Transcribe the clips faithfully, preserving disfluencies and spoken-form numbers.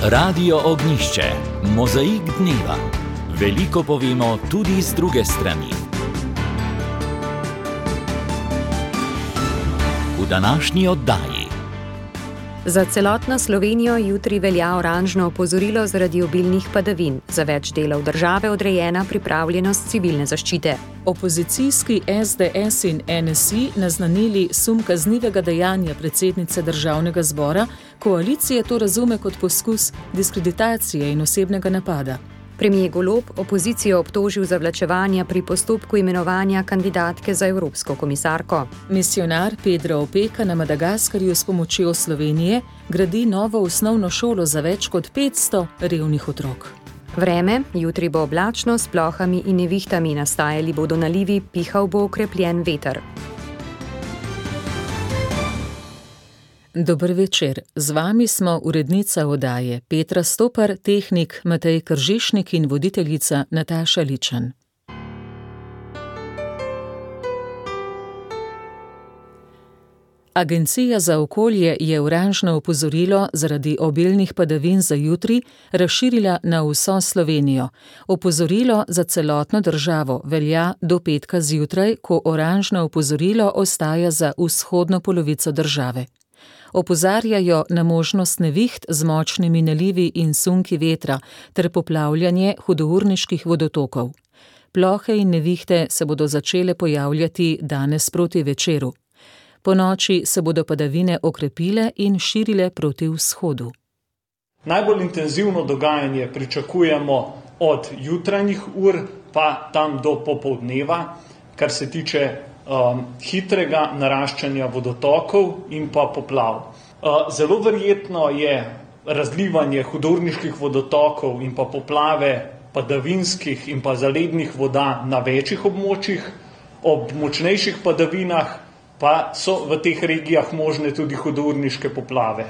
Radio Ognjišče, mozaik dneva. Veliko povemo tudi z druge strani. V današnji oddaji. Za celotno Slovenijo jutri velja oranžno opozorilo zaradi obilnih padavin. Za več delov države odrejena pripravljenost civilne zaščite. Opozicijski es de es in en es i naznanili sum kaznivega dejanja predsednice državnega zbora, koalicije to razume kot poskus diskreditacije in osebnega napada. Premier Golob opozicijo obtožil zavlačevanja pri postopku imenovanja kandidatke za evropsko komisarko. Misijonar Pedro Opeka na Madagaskarju s pomočjo Slovenije gradi novo osnovno šolo za več kot petsto revnih otrok. Vreme, jutri bo oblačno s plohami in nevihtami, nastajali bodo nalivi, pihal bo okrepljen veter. Dober večer, z vami smo urednica oddaje Petra Stopar, tehnik Matej Kržišnik in voditeljica Nataša Ličan. Agencija za okolje je oranžno opozorilo zaradi obilnih padavin za jutri razširila na vso Slovenijo. Opozorilo za celotno državo velja do petka zjutraj, ko oranžno opozorilo ostaja za vzhodno polovico države. Opozarjajo na možnost neviht z močnimi nalivi in sunki vetra ter poplavljanje hudourniških vodotokov. Plohe in nevihte se bodo začele pojavljati danes proti večeru. Ponoči se bodo padavine okrepile in širile proti vzhodu. Najbolj intenzivno dogajanje pričakujemo od jutranjih ur pa tam do popoldneva, kar se tiče um, hitrega naraščanja vodotokov in pa poplav. Uh, zelo verjetno je razlivanje hudourniških vodotokov in pa poplave padavinskih in pa zalednih voda na večjih območjih. Ob močnejših padavinah pa so v teh regijah možne tudi hudourniške poplave.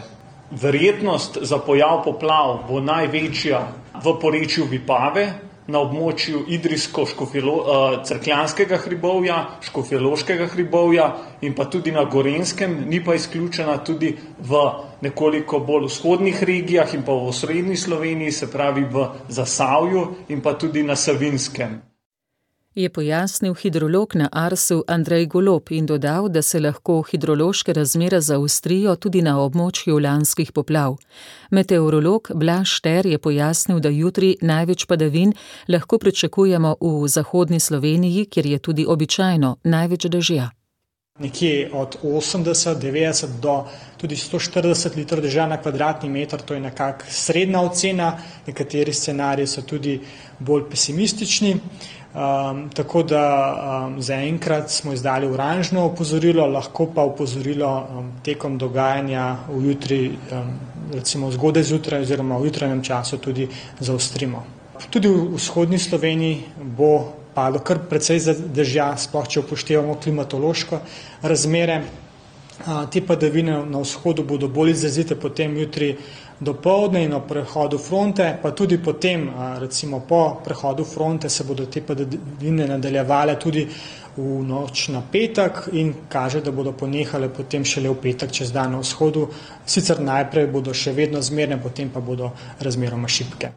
Verjetnost za pojav poplav bo največja v porečju Vipave, na območju Idrijsko-Cerkljanskega hribovja, Škofjeloškega hribovja in pa tudi na Gorenjskem, ni pa izključena tudi v nekoliko bolj vzhodnih regijah in pa v osrednji Sloveniji, se pravi v Zasavju in pa tudi na Savinjskem. Je pojasnil hidrolog na Arsu Andrej Golob in dodal, da se lahko hidrološke razmere zaostrijo tudi na območju lanskih poplav. Meteorolog Blaž Šter je pojasnil, da jutri največ padavin lahko pričakujemo v zahodni Sloveniji, kjer je tudi običajno največ dežja. Nekje od osemdeset, devetdeset do tudi sto štirideset litrov dežja na kvadratni meter, to je nekak srednja ocena, nekateri scenariji so tudi bolj pesimistični. Um, tako da um, zaenkrat smo izdali oranžno opozorilo, lahko pa opozorilo um, tekom dogajanja v jutri, um, recimo zgodaj zjutraj oziroma v jutranjem času tudi zaostrimo. Tudi v vzhodni Sloveniji bo padlo kar precej dežja, sploh če upoštevamo klimatološko razmere. Uh, te padavine na vzhodu bodo bolj izrazite potem jutri dopoldne in ob prehodu fronte, pa tudi potem, recimo po prehodu fronte, se bodo te padavine nadaljevale tudi v noč na petek in kaže, da bodo ponehale potem šele v petek čez dan na vzhodu. Sicer najprej bodo še vedno zmerne, potem pa bodo razmeroma šibke.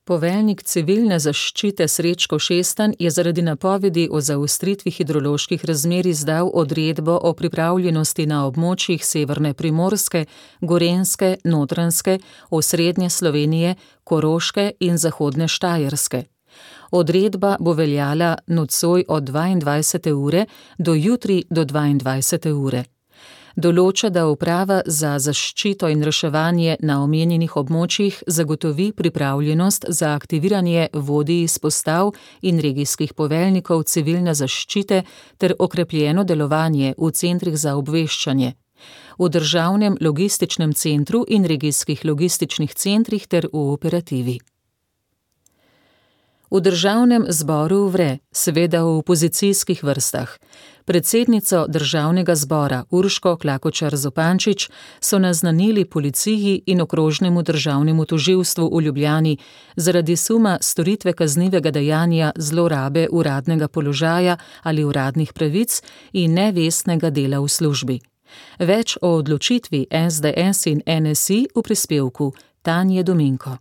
Poveljnik civilne zaščite Srečko Šestan je zaradi napovedi o zaostritvi hidroloških razmer izdal odredbo o pripravljenosti na območjih severne Primorske, Gorenjske, Notranjske, osrednje Slovenije, Koroške in zahodne Štajerske. Odredba bo veljala nocoj od dvaindvajsete ure do jutri do dvaindvajsete ure. Določa, da uprava za zaščito in reševanje na omenjenih območjih zagotovi pripravljenost za aktiviranje vodij izpostav in regijskih poveljnikov civilne zaščite ter okrepljeno delovanje v centrih za obveščanje, v državnem logističnem centru in regijskih logističnih centrih ter v operativi. V državnem zboru vre, seveda v opozicijskih vrstah. Predsednico državnega zbora Urško Klakočar Zupančič so naznanili policiji in okrožnemu državnemu tožilstvu v Ljubljani zaradi suma storitve kaznivega dejanja zlorabe uradnega položaja ali uradnih pravic in nevestnega dela v službi. Več o odločitvi es de es in en es i v prispevku Tanje Dominko.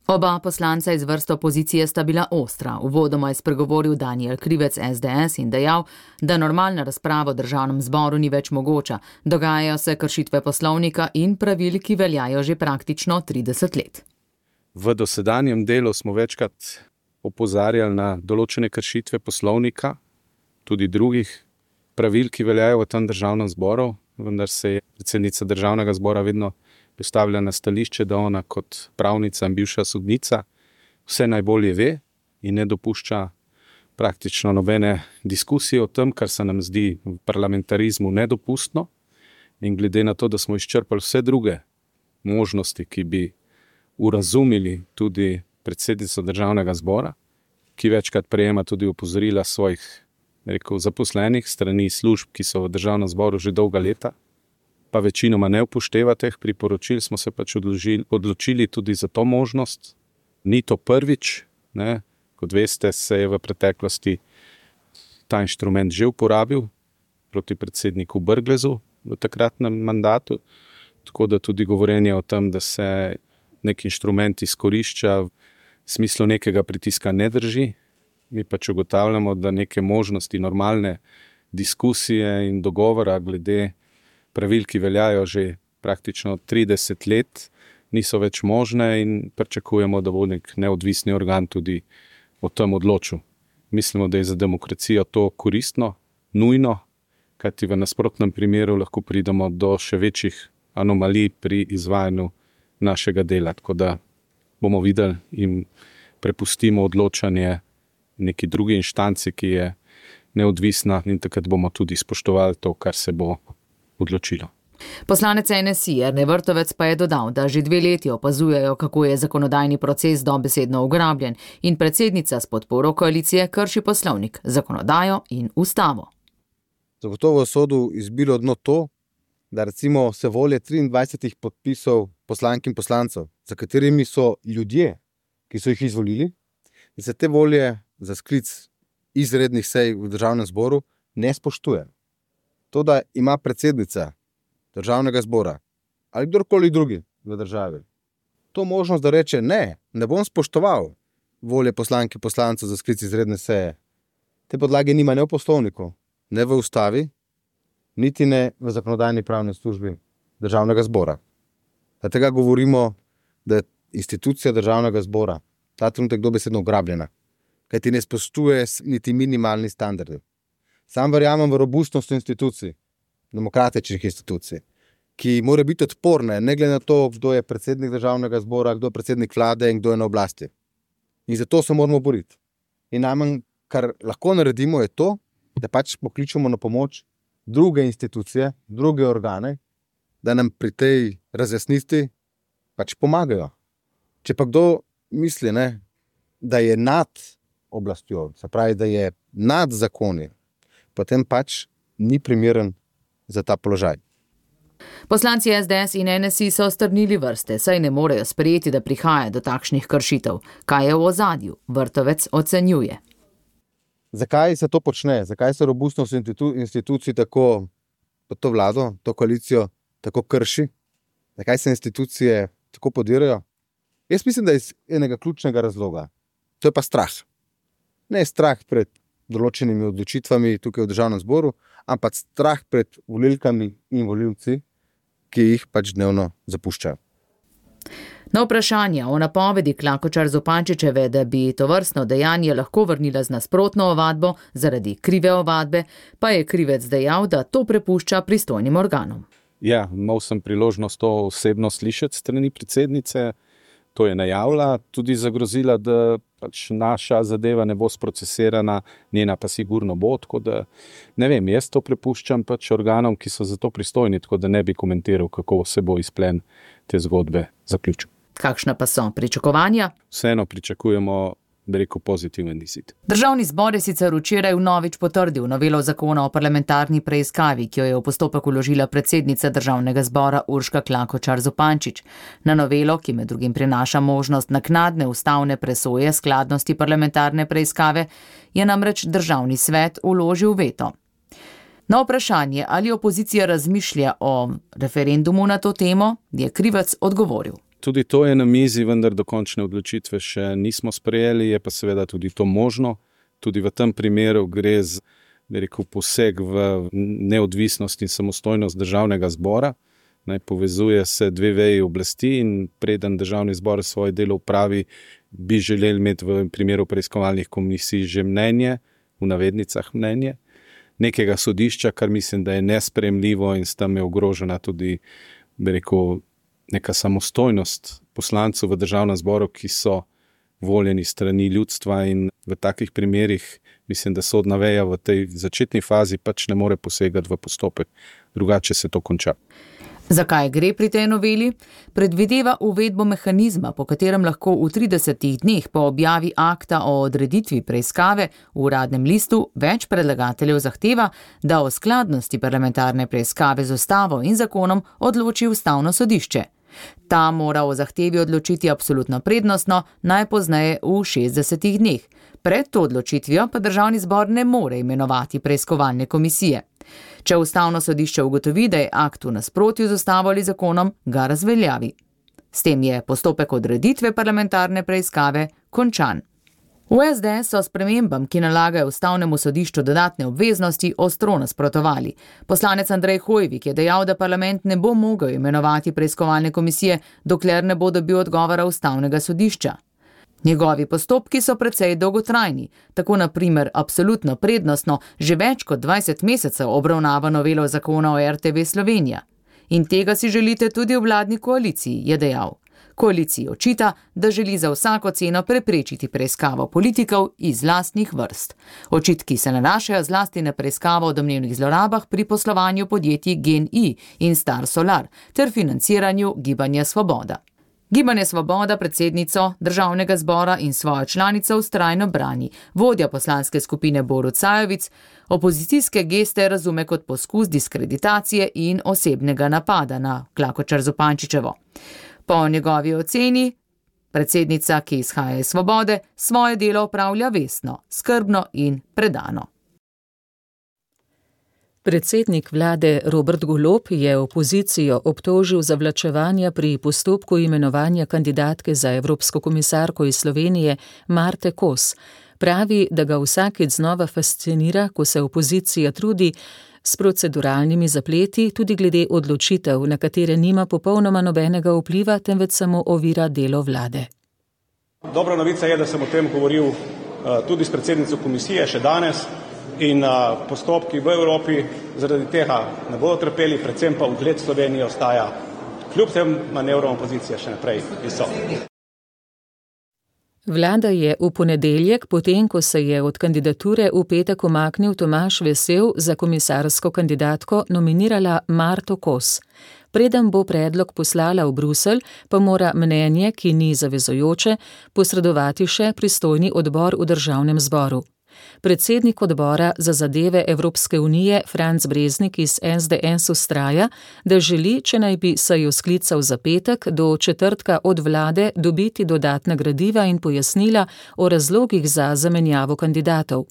Oba poslanca iz vrst opozicije sta bila ostra. Uvodoma je spregovoril Danijel Krivec S D S in dejal, da normalna razprava v državnem zboru ni več mogoča. Dogajajo se kršitve poslovnika in pravil, ki veljajo že praktično trideset let. V dosedanjem delu smo večkrat opozarjali na določene kršitve poslovnika, tudi drugih pravil, ki veljajo v tem državnem zboru, vendar se je predsednica državnega zbora vedno postavlja na stališče, da ona kot pravnica in bivša sodnica vse najbolje ve in ne dopušča praktično nobene diskusije o tem, kar se nam zdi v parlamentarizmu nedopustno. In glede na to, da smo izčrpali vse druge možnosti, ki bi urazumili tudi predsednico državnega zbora, ki večkrat prejema tudi opozorila svojih rekel, zaposlenih strani služb, ki so v državnem zboru že dolga leta, pa večinoma ne upošteva teh priporočil, smo se pač odložili, odločili tudi za to možnost. Ni to prvič, ne? Kot veste, se je v preteklosti ta inštrument že uporabil proti predsedniku Brglezu v takratnem mandatu, tako da tudi govorenje o tem, da se nek inštrument izkorišča v smislu nekega pritiska ne drži. Mi pač ugotavljamo, da neke možnosti normalne diskusije in dogovora glede pravil, ki veljajo že praktično trideset let, niso več možne in pričakujemo, da bo nek neodvisni organ tudi o tem odločil. Mislimo, da je za demokracijo to koristno, nujno, kajti v nasprotnem primeru lahko pridemo do še večjih anomalij pri izvajanju našega dela. Tako da bomo videli in prepustimo odločanje neki drugi inštanci, ki je neodvisna, in takrat bomo tudi spoštovali to, kar se bo odločilo. Poslanec N S I Jernej Vrtovec pa je dodal, da že dve leti opazujejo, kako je zakonodajni proces dobesedno ugrabljen in predsednica s podporo koalicije krši poslovnik, zakonodajo in ustavo. Zagotovo sodu izbilo dno to, da recimo se volje triindvajsetih podpisov poslank in poslancev, za katerimi so ljudje, ki so jih izvolili, in se te volje za sklic izrednih sej v državnem zboru ne spoštuje. To, da ima predsednica državnega zbora ali kdorkoli drugi v državi to možnost, da reče ne, ne bom spoštoval volje poslank in poslancev za sklic izredne seje. Te podlage nima ne v poslovniku, ne v ustavi, niti ne v zakonodajni pravni službi državnega zbora. Tega govorimo, da je institucija državnega zbora ta trenutek dobesedno ugrabljena, kajti ne spoštuje niti minimalni standardi. Sam verjamem v robustnost institucij, demokratičnih institucij, ki mora biti odporne, ne glede na to, kdo je predsednik državnega zbora, kdo je predsednik vlade in kdo je na oblasti. In zato se moramo boriti. In najmanj, kar lahko naredimo, je to, da pač pokličemo na pomoč druge institucije, druge organe, da nam pri tej razjasnitvi pač pomagajo. Če pa kdo misli, ne, da je nad oblastjo, se pravi, da je nad zakoni, potem pač ni primeren za ta položaj. Poslanci S D S in N S I so strnili vrste, saj ne morejo sprejeti, da prihaja do takšnih kršitev. Kaj je v ozadju? Vrtovec ocenjuje. Zakaj se to počne? Zakaj se robustnost institu- institucij tako, to vlado, to koalicijo tako krši? Zakaj se institucije tako podirajo? Jaz mislim, da je iz enega ključnega razloga. To je pa strah. Ne strah pred določenimi odločitvami tukaj v državnem zboru, ampak strah pred volilkami in volilci, ki jih pač dnevno zapuščajo. Na vprašanje o napovedi Klakočar Zupančičeve, da bi tovrstno dejanje lahko vrnila z nasprotno ovadbo zaradi krive ovadbe, pa je Krivec dejal, da to prepušča pristojnim organom. Ja, imel sem priložnost to osebno slišati strani predsednice, to je najavila, tudi zagrozila, da pač naša zadeva ne bo sprocesirana, njena pa sigurno bo, tako da ne vem, jaz to prepuščam pač organom, ki so za to pristojni, tako da ne bi komentiral, kako se bo izplen te zgodbe zaključil. Kakšna pa so pričakovanja? Vseeno pričakujemo, bi rekel, pozitiven izid. Državni zbor je sicer včeraj vnovič potrdil novelo zakona o parlamentarni preiskavi, ki jo je v postopek vložila predsednica državnega zbora Urška Klakočar Zupančič. Na novelo, ki med drugim prinaša možnost naknadne ustavne presoje skladnosti parlamentarne preiskave, je namreč državni svet vložil veto. Na vprašanje, ali opozicija razmišlja o referendumu na to temo, je Krivec odgovoril. Tudi to je na mizi, vendar dokončne odločitve še nismo sprejeli, je pa seveda tudi to možno. Tudi v tem primeru gre z, da rekel, poseg v neodvisnost in samostojnost državnega zbora. Naj povezuje se dve veji oblasti in preden državni zbor svoje delo upravi, bi želeli imeti v primeru preiskovalnih komisij že mnenje, v navednicah mnenje, nekega sodišča, kar mislim, da je nesprejemljivo in s tem je ogrožena tudi, bi rekel, neka samostojnost poslancev v državnem zboru, ki so voljeni strani ljudstva in v takih primerih mislim, da sodna veja v tej začetni fazi pač ne more posegati v postopek, drugače se to konča. Zakaj gre pri tej noveli? Predvideva uvedbo mehanizma, po katerem lahko v tridesetih dneh po objavi akta o odreditvi preiskave v Uradnem listu več predlagateljev zahteva, da o skladnosti parlamentarne preiskave z ustavo in zakonom odloči Ustavno sodišče. Ta mora o zahtevi odločiti absolutno prednostno, najpozneje v šestdesetih dneh. Pred to odločitvijo pa državni zbor ne more imenovati preiskovalne komisije. Če Ustavno sodišče ugotovi, da je akt v nasprotju z ustavo ali zakonom, ga razveljavi. S tem je postopek odreditve parlamentarne preiskave končan. V es de es so spremembam, ki nalagajo Ustavnemu sodišču dodatne obveznosti, ostro nasprotovali. Poslanec Andrej Hoivik je dejal, da parlament ne bo mogel imenovati preiskovalne komisije, dokler ne bo dobil odgovora Ustavnega sodišča. Njegovi postopki so precej dolgotrajni, tako na primer absolutno prednostno že več kot dvajset mesecev obravnava novelo zakona o er te ve Slovenija. In tega si želite tudi v vladni koaliciji, je dejal. Koaliciji očita, da želi za vsako ceno preprečiti preiskavo politikov iz lastnih vrst. Očitki se nanašajo zlasti na preiskavo o domnevnih zlorabah pri poslovanju podjetij GEN-I in Star Solar ter financiranju Gibanja Svoboda. Gibanje Svoboda predsednico državnega zbora in svojo članico vztrajno brani. Vodja poslanske skupine Borut Sajovic opozicijske geste razume kot poskus diskreditacije in osebnega napada na Klakočar Zupančičevo. Po njegovi oceni predsednica, ki izhaja iz Svobode, svoje delo opravlja vestno, skrbno in predano. Predsednik vlade Robert Golob je opozicijo obtožil zavlačevanja pri postopku imenovanja kandidatke za evropsko komisarko iz Slovenije Marte Kos. Pravi, da ga vsakič znova fascinira, ko se opozicija trudi s proceduralnimi zapleti, tudi glede odločitev, na katere nima popolnoma nobenega vpliva, temveč samo ovira delo vlade. Dobra novica je, da sem o tem govoril uh, tudi s predsednico komisije še danes in uh, postopki v Evropi zaradi tega ne bodo trpeli, predvsem pa ugled Slovenije ostaja kljub tem manevrom opozicije še naprej visok. Vlada je v ponedeljek, potem ko se je od kandidature v petek umaknil Tomaž Vesel, za komisarsko kandidatko nominirala Marto Kos. Preden bo predlog poslala v Bruselj, pa mora mnenje, ki ni zavezujoče, posredovati še pristojni odbor v državnem zboru. Predsednik odbora za zadeve Evropske unije Franc Breznik iz es de es vztraja, da želi, če naj bi sejo sklical za petek, do četrtka od vlade dobiti dodatna gradiva in pojasnila o razlogih za zamenjavo kandidatov.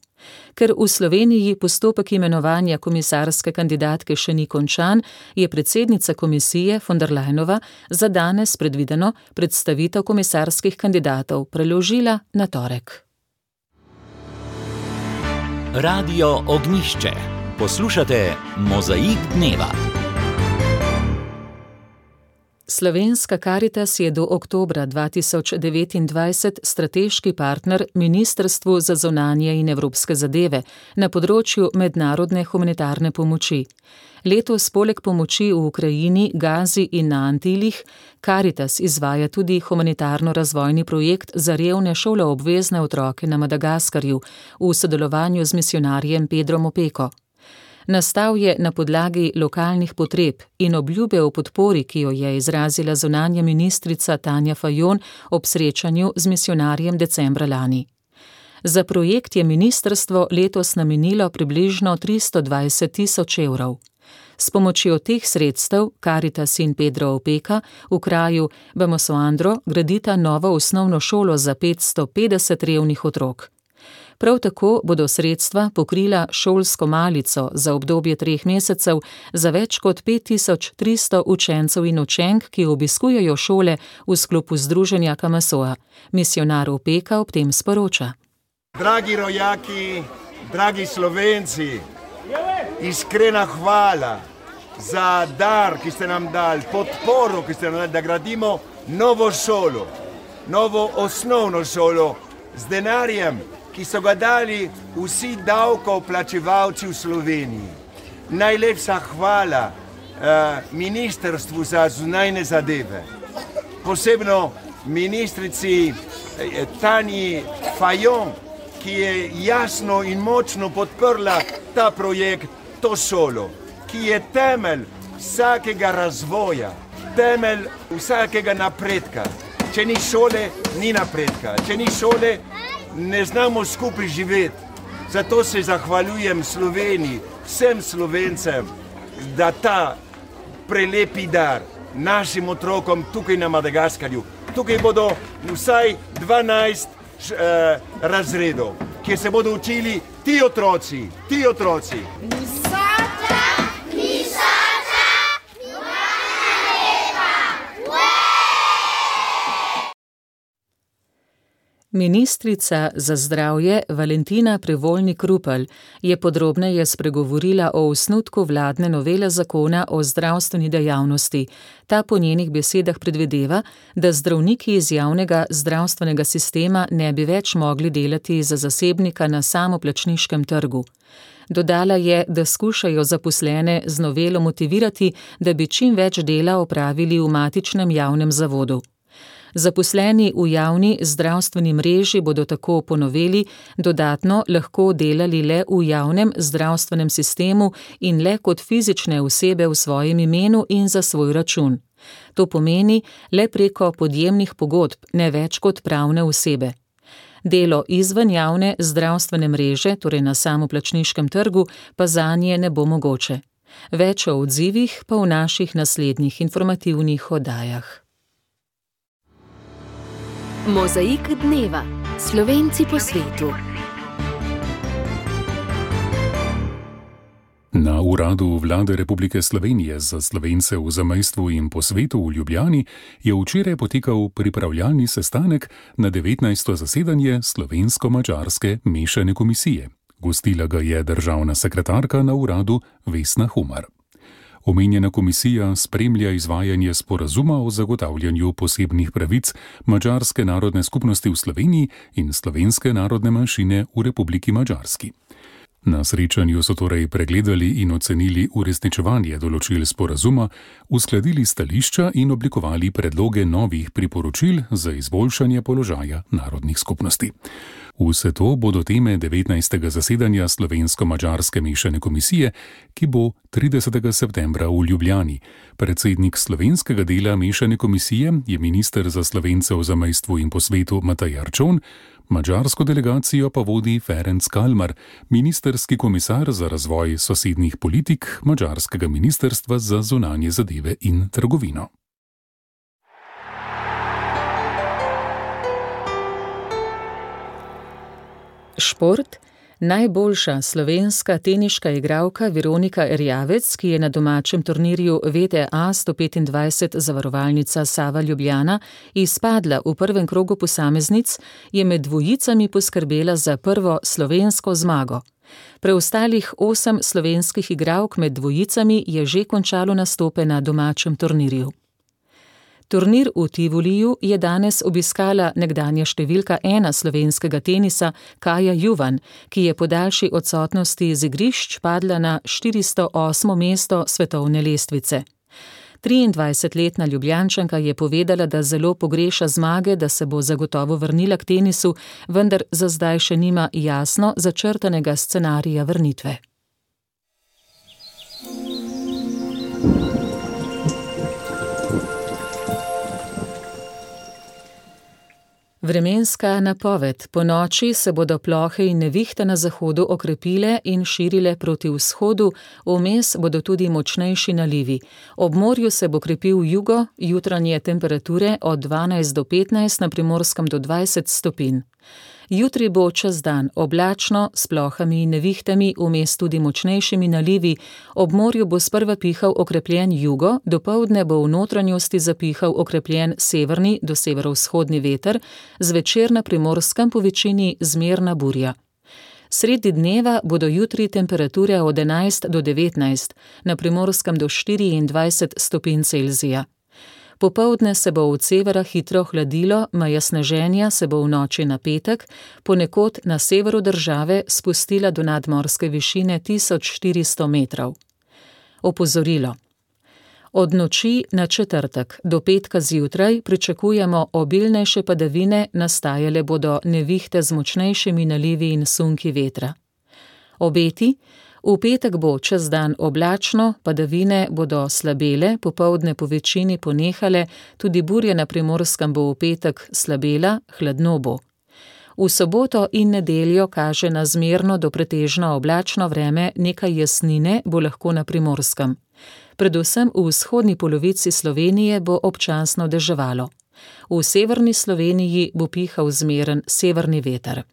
Ker v Sloveniji postopek imenovanja komisarske kandidatke še ni končan, je predsednica komisije von der Leyenova za danes predvideno predstavitev komisarskih kandidatov preložila na torek. Radio Ognjišče. Poslušate Mozaik dneva. Slovenska Karitas je do oktobra dva tisoč devetindvajset strateški partner Ministrstvu za zunanje in evropske zadeve na področju mednarodne humanitarne pomoči. Letos poleg pomoči v Ukrajini, Gazi in na Antilih, Karitas izvaja tudi humanitarno-razvojni projekt za revne šoloobvezne otroke na Madagaskarju v sodelovanju z misijonarjem Pedrom Opeko. Nastal je na podlagi lokalnih potreb in obljube o podpori, ki jo je izrazila zunanja ministrica Tanja Fajon ob srečanju z misijonarjem decembra lani. Za projekt je ministrstvo letos namenilo približno tristo dvajset tisoč evrov. S pomočjo teh sredstev Karitas in Pedro Opeka v kraju Bamosoandro gradita novo osnovno šolo za petsto petdeset revnih otrok. Prav tako bodo sredstva pokrila šolsko malico za obdobje treh mesecev za več kot pet tisoč tristo učencev in učenk, ki obiskujejo šole v sklopu združenja Kamasoa. Misionar Opeka ob tem sporoča. Dragi rojaki, dragi Slovenci, iskrena hvala za dar, ki ste nam dali, podporo, ki ste nam dali, da gradimo novo šolo, novo osnovno šolo z denarjem, ki so ga dali vsi davkoplačevalci v Sloveniji. Najlepša hvala uh, Ministrstvu za zunajne zadeve, posebno ministrici eh, Tanji Fajon, ki je jasno in močno podprla ta projekt, to šolo, ki je temelj vsakega razvoja, temelj vsakega napredka. Če ni šole, ni napredka. Če ni šole, ne znamo skupaj živeti. Zato se zahvaljujem Sloveniji, vsem Slovencem, da ta prelepi dar našim otrokom tukaj na Madagaskarju. Tukaj bodo vsaj dvanajst eh, razredov, kjer se bodo učili ti otroci, ti otroci. Ministrica za zdravje Valentina Prevolnik-Rupel je podrobneje spregovorila o osnutku vladne novele zakona o zdravstveni dejavnosti. Ta po njenih besedah predvideva, da zdravniki iz javnega zdravstvenega sistema ne bi več mogli delati za zasebnika na samoplačniškem trgu. Dodala je, da skušajo zaposlene z novelo motivirati, da bi čim več dela opravili v matičnem javnem zavodu. Zaposleni v javni zdravstveni mreži bodo tako po noveli dodatno lahko delali le v javnem zdravstvenem sistemu in le kot fizične osebe v svojem imenu in za svoj račun. To pomeni le preko podjemnih pogodb, ne več kot pravne osebe. Delo izven javne zdravstvene mreže, torej na samoplačniškem trgu, pa zanje ne bo mogoče. Več o odzivih pa v naših naslednjih informativnih oddajah. Mozaik dneva. Slovenci po svetu. Na uradu Vlade Republike Slovenije za Slovence v zamejstvu in po svetu v Ljubljani je včeraj potekal pripravljalni sestanek na devetnajsto zasedanje Slovensko-madžarske mešane komisije. Gostila ga je državna sekretarka na uradu Vesna Humar. Omenjena komisija spremlja izvajanje sporazuma o zagotavljanju posebnih pravic madžarske narodne skupnosti v Sloveniji in slovenske narodne manjšine v Republiki Madžarski. Na srečanju so torej pregledali in ocenili uresničevanje določil sporazuma, uskladili stališča in oblikovali predloge novih priporočil za izboljšanje položaja narodnih skupnosti. Vse to bodo teme devetnajstega zasedanja Slovensko-madžarske mešane komisije, ki bo tridesetega septembra v Ljubljani. Predsednik slovenskega dela mešane komisije je minister za Slovence v zamejstvu in po svetu Matej Arčon, madžarsko delegacijo pa vodi Ferenc Kalmar, ministerski komisar za razvoj sosednjih politik madžarskega ministrstva za zunanje zadeve in trgovino. Šport. Najboljša slovenska teniška igralka Veronika Erjavec, ki je na domačem turnirju V T A sto petindvajset zavarovalnica Sava Ljubljana izpadla v prvem krogu posameznic, je med dvojicami poskrbela za prvo slovensko zmago. Preostalih osem slovenskih igralk med dvojicami je že končalo nastope na domačem turnirju. Turnir v Tivoliju je danes obiskala nekdanja številka ena slovenskega tenisa Kaja Juvan, ki je po daljši odsotnosti z igrišč padla na štiristo osmo mesto svetovne lestvice. triindvajsetletna Ljubljančanka je povedala, da zelo pogreša zmage, da se bo zagotovo vrnila k tenisu, vendar za zdaj še nima jasno začrtanega scenarija vrnitve. Vremenska napoved. Po noči se bodo plohe in nevihte na zahodu okrepile in širile proti vzhodu, vmes bodo tudi močnejši nalivi. Ob morju se bo krepil jugo, jutranje temperature od dvanajst do petnajst, na Primorskem do dvajset stopinj. Jutri bo čez dan oblačno, s plohami in nevihtami, vmes tudi močnejšimi nalivi, ob morju bo sprva pihal okrepljen jugo, dopoldne bo v notranjosti zapihal okrepljen severni do severovzhodni veter, zvečer na Primorskem po večini zmerna burja. Sredi dneva bodo jutri temperature od enajst do devetnajst, na Primorskem do štiriindvajset stopinj Celzija. Popoldne se bo od severa hitro hladilo, meja sneženja se bo v noči na petek, ponekod na severu države spustila do nadmorske višine tisoč štiristo metrov. Opozorilo. Od noči na četrtek do petka zjutraj pričakujemo obilnejše padavine, nastajale bodo nevihte z močnejšimi nalivi in sunki vetra. Obeti. V petek bo čez dan oblačno, padavine bodo slabele, popoldne po večini ponehale, tudi burja na Primorskem bo v petek slabela, hladno bo. V soboto in nedeljo kaže na zmerno do pretežno oblačno vreme, nekaj jasnine bo lahko na Primorskem. Predvsem v vzhodni polovici Slovenije bo občasno deževalo. V severni Sloveniji bo pihal zmeren severni veter.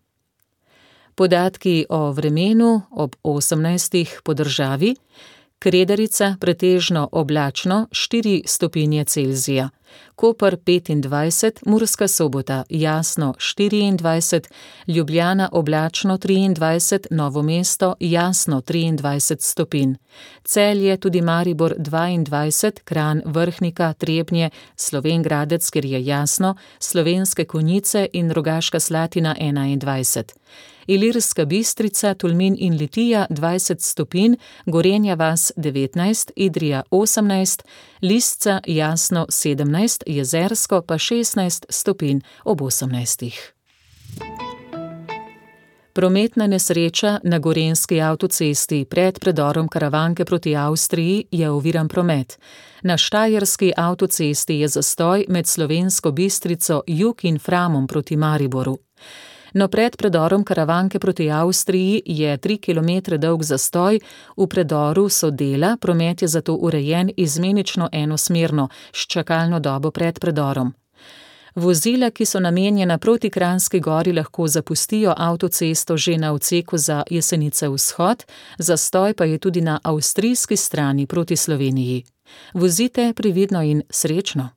Podatki o vremenu ob osemnajstih po državi. Kredarica pretežno oblačno štiri stopinje Celzija, Koper petindvajset, Murska Sobota jasno štiriindvajset, Ljubljana oblačno triindvajset, Novo mesto jasno triindvajset stopinj, Celje tudi Maribor dvaindvajset, Kranj, Vrhnika, Trebnje, Slovenj Gradec, kjer je jasno, Slovenske Konjice in Rogaška Slatina enaindvajset. Ilirska Bistrica, Tolmin in Litija dvajset stopinj, Gorenja vas devetnajst, Idrija osemnajst, Lisca jasno sedemnajst, Jezersko pa šestnajst stopinj ob osemnajstih. Prometna nesreča na Gorenjski avtocesti pred predorom Karavanke proti Avstriji je oviran promet. Na Štajerski avtocesti je zastoj med Slovensko Bistrico, Jug in Framom proti Mariboru. No pred predorom Karavanke proti Avstriji je tri kilometre dolg zastoj, v predoru so dela, promet je zato urejen izmenično enosmerno, s čakalno dobo pred predorom. Vozila, ki so namenjena proti Kranjski gori, lahko zapustijo avtocesto že na odseku za Jesenice vzhod, zastoj pa je tudi na avstrijski strani proti Sloveniji. Vozite previdno in srečno!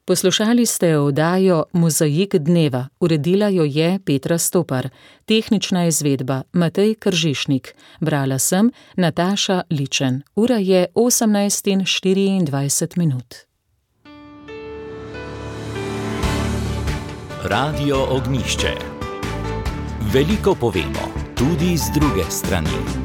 Poslušali ste oddajo Mozaik dneva, uredila jo je Petra Stopar, tehnična izvedba Matej Kržišnik, brala sem Nataša Ličen. Ura je osemnajst in štiriindvajset minut. Radio Ognjišče. Veliko povemo, tudi z druge strani.